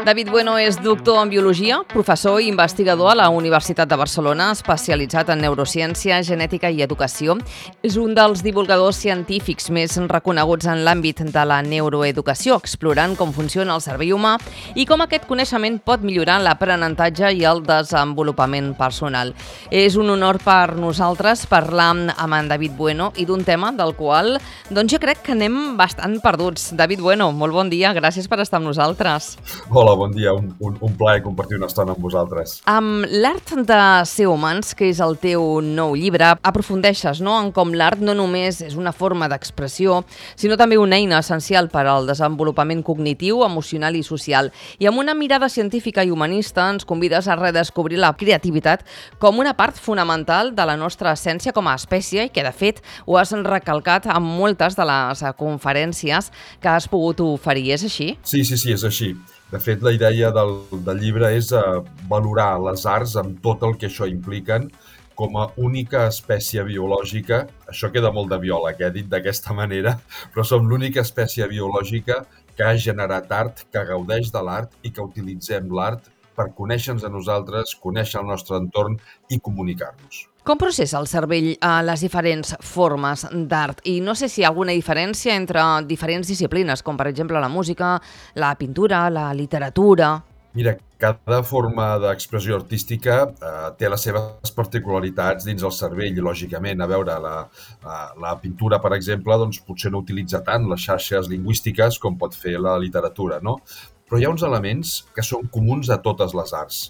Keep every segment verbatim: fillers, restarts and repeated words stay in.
David Bueno és doctor en Biologia, professor i investigador a la Universitat de Barcelona, especialitzat en neurociència, genètica i educació. És un dels divulgadors científics més reconeguts en l'àmbit de la neuroeducació, explorant com funciona el cervell humà i com aquest coneixement pot millorar l'aprenentatge i el desenvolupament personal. És un honor per nosaltres parlar amb en David Bueno i d'un tema del qual doncs jo crec que anem bastant perduts. David Bueno, molt bon dia, gràcies per estar amb nosaltres. Hola, bon dia, un, un, un plaer compartir una estona amb vosaltres. Amb l'art de ser humans, que és el teu nou llibre, aprofundeixes no? en com l'art no només és una forma d'expressió, sinó també una eina essencial per al desenvolupament cognitiu, emocional i social. I amb una mirada científica i humanista ens convides a redescobrir la creativitat com una part fonamental de la nostra essència com a espècie i que, de fet, ho has recalcat en moltes de les conferències que has pogut oferir. És així? Sí, sí, sí, és així. De fet, la idea del, del llibre és uh, valorar les arts amb tot el que això impliquen com a única espècie biològica. Això queda molt de biòleg, eh, dit d'aquesta manera, però som l'única espècie biològica que ha generat art, que gaudeix de l'art i que utilitzem l'art per conèixer-nos a nosaltres, conèixer el nostre entorn i comunicar-nos. Com processa el cervell a les diferents formes d'art? I no sé si hi ha alguna diferència entre diferents disciplines, com per exemple la música, la pintura, la literatura. Mira, cada forma d'expressió artística eh, té les seves particularitats dins el cervell, lògicament. A veure, la, la, la pintura, per exemple, doncs, potser no utilitza tant les xarxes lingüístiques com pot fer la literatura, no? Però hi ha uns elements que són comuns a totes les arts.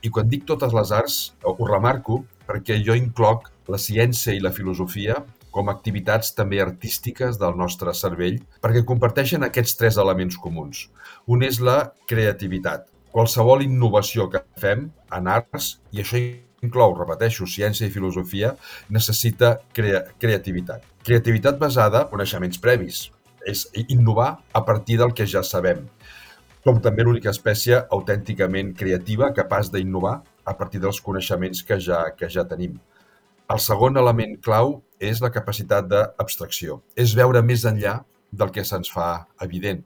I quan dic totes les arts, ho remarco perquè jo incloc la ciència i la filosofia com a activitats també artístiques del nostre cervell, perquè comparteixen aquests tres elements comuns. Un és la creativitat. Qualsevol innovació que fem en arts, i això inclou, repeteixo, ciència i filosofia, necessita crea- creativitat. Creativitat basada en coneixements previs. És innovar a partir del que ja sabem. Som també l'única espècie autènticament creativa capaç d'innovar a partir dels coneixements que ja, que ja tenim. El segon element clau és la capacitat d'abstracció. És veure més enllà del que se'ns fa evident.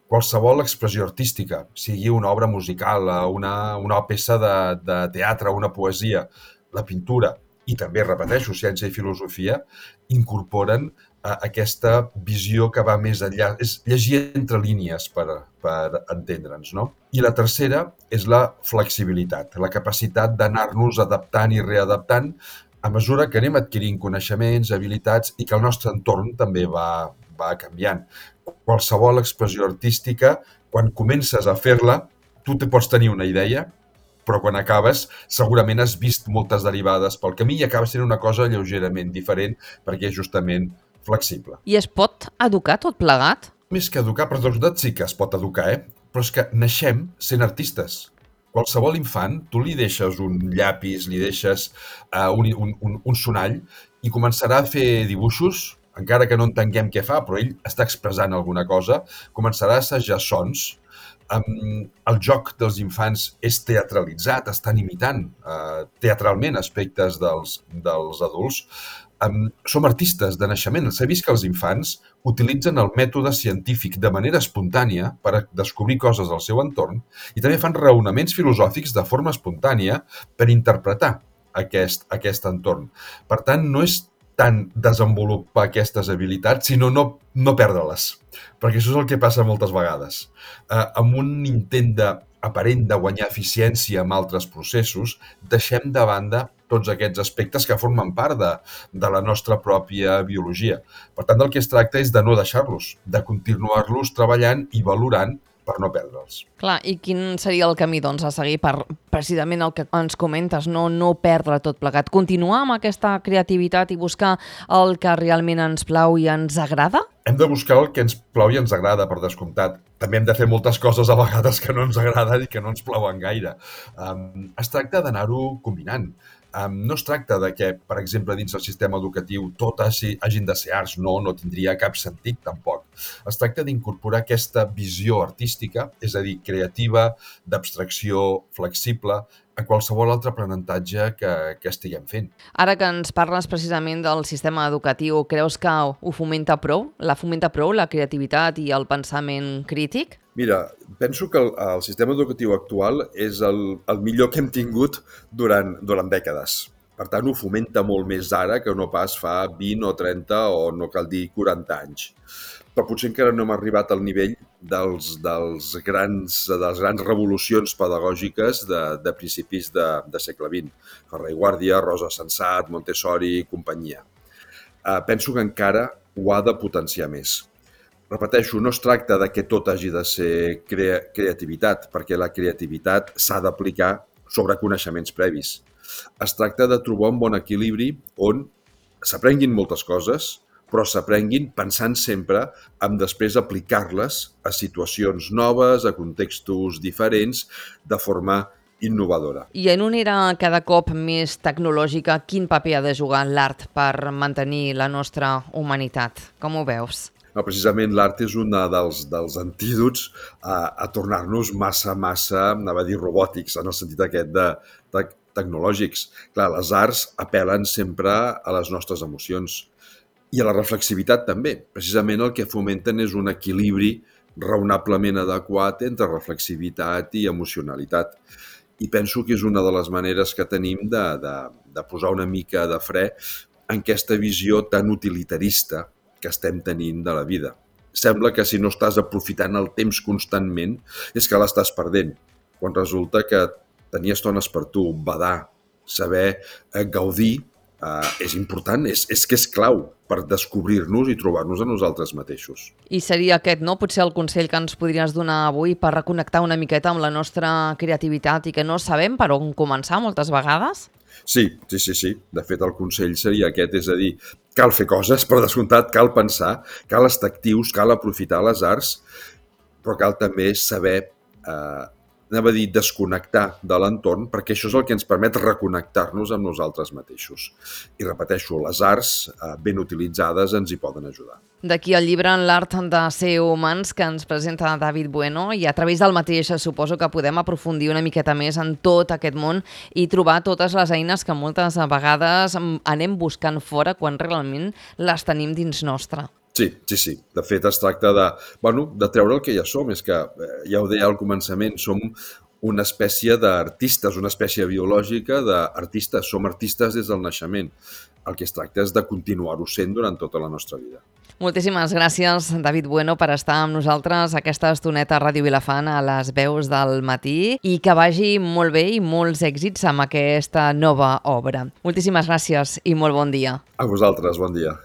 Qualsevol expressió artística, sigui una obra musical, una, una peça de, de teatre, una poesia, la pintura i també, repeteixo, ciència i filosofia, incorporen a aquesta visió que va més enllà. És llegir entre línies per, per entendre'ns, no? I la tercera és la flexibilitat, la capacitat d'anar-nos adaptant i readaptant a mesura que anem adquirint coneixements, habilitats i que el nostre entorn també va, va canviant. Qualsevol expressió artística, quan comences a fer-la, tu te pots tenir una idea, però quan acabes segurament has vist moltes derivades pel camí i acaba sent una cosa lleugerament diferent perquè és justament flexible. I es pot educar tot plegat? Més que educar, per tot sí que es pot educar, eh? Però és que naixem sent artistes. Qualsevol infant, tu li deixes un llapis, li deixes uh, un, un, un, un sonall i començarà a fer dibuixos, encara que no entenguem què fa, però ell està expressant alguna cosa, començarà a assajar sons. Um, el joc dels infants és teatralitzat, estan imitant uh, teatralment aspectes dels, dels adults. Um, som artistes de naixement. S'ha vist que els infants utilitzen el mètode científic de manera espontània per descobrir coses del seu entorn i també fan raonaments filosòfics de forma espontània per interpretar aquest, aquest entorn. Per tant, no és tant desenvolupar aquestes habilitats, sinó no, no perdre-les. Perquè això és el que passa moltes vegades. Eh, amb un intent de, aparent de guanyar eficiència en altres processos, deixem de banda tots aquests aspectes que formen part de, de la nostra pròpia biologia. Per tant, del que es tracta és de no deixar-los, de continuar-los treballant i valorant per no perdre'ls. Clar, i quin seria el camí doncs, a seguir per precisament el que ens comentes, no, no perdre tot plegat? Continuar amb aquesta creativitat i buscar el que realment ens plau i ens agrada? Hem de buscar el que ens plau i ens agrada, per descomptat. També hem de fer moltes coses a vegades que no ens agraden i que no ens plauen gaire. Um, es tracta d'anar-ho combinant. Um, no es tracta de que, per exemple, dins el sistema educatiu tot hagi, hagin de ser arts, no, no tindria cap sentit tampoc. Es tracta d'incorporar aquesta visió artística, és a dir, creativa, d'abstracció, flexible, a qualsevol altre aprenentatge que, que estiguem fent. Ara que ens parles precisament del sistema educatiu, creus que ho fomenta prou? La fomenta prou la creativitat i el pensament crític? Mira, penso que el, el sistema educatiu actual és el, el millor que hem tingut durant, durant dècades. Per tant, ho fomenta molt més ara que no pas fa vint o trenta o no cal dir quaranta anys. Però potser encara no hem arribat al nivell dels, dels grans, de les grans revolucions pedagògiques de, de principis de, de segle vint. Ferrer i Guàrdia, Rosa Sensat, Montessori i companyia. Uh, penso que encara ho ha de potenciar més. Repeteixo, no es tracta de que tot hagi de ser crea creativitat, perquè la creativitat s'ha d'aplicar sobre coneixements previs. Es tracta de trobar un bon equilibri on s'aprenguin moltes coses, però s'aprenguin pensant sempre en després aplicar-les a situacions noves, a contextos diferents, de forma innovadora. I en una era cada cop més tecnològica, quin paper ha de jugar l'art per mantenir la nostra humanitat? Com ho veus? No, precisament l'art és un dels, dels antídots a, a tornar-nos massa, massa, anava a dir robòtics, en el sentit aquest de, de tecnològics. Clar, les arts apel·len sempre a les nostres emocions i a la reflexivitat també. Precisament el que fomenten és un equilibri raonablement adequat entre reflexivitat i emocionalitat. I penso que és una de les maneres que tenim de, de, de posar una mica de fre en aquesta visió tan utilitarista que estem tenint de la vida. Sembla que si no estàs aprofitant el temps constantment és que l'estàs perdent, quan resulta que tenir estones per tu, badar, saber eh, gaudir, eh, és important, és, és que és clau per descobrir-nos i trobar-nos a nosaltres mateixos. I seria aquest, no? Potser el consell que ens podries donar avui per reconnectar una miqueta amb la nostra creativitat i que no sabem per on començar moltes vegades? Sí, sí, sí, sí. De fet, el consell seria aquest, és a dir, cal fer coses, per descomptat, cal pensar, cal estar actius, cal aprofitar les arts, però cal també saber, eh, anava a dir, desconnectar de l'entorn, perquè això és el que ens permet reconnectar-nos amb nosaltres mateixos. I repeteixo, les arts, eh, ben utilitzades, ens hi poden ajudar. D'aquí el llibre L'art de ser humans que ens presenta David Bueno i a través del mateix suposo que podem aprofundir una miqueta més en tot aquest món i trobar totes les eines que moltes vegades anem buscant fora quan realment les tenim dins nostre. Sí, sí, sí. De fet, es tracta de, bueno, de treure el que ja som. És que, eh, ja ho deia al començament, som una espècie d'artistes, una espècie biològica d'artistes. Som artistes des del naixement. El que es tracta és de continuar-ho sent durant tota la nostra vida. Moltíssimes gràcies, David Bueno, per estar amb nosaltres aquesta estoneta a Ràdio Vilafant a les veus del matí i que vagi molt bé i molts èxits amb aquesta nova obra. Moltíssimes gràcies i molt bon dia. A vosaltres, bon dia.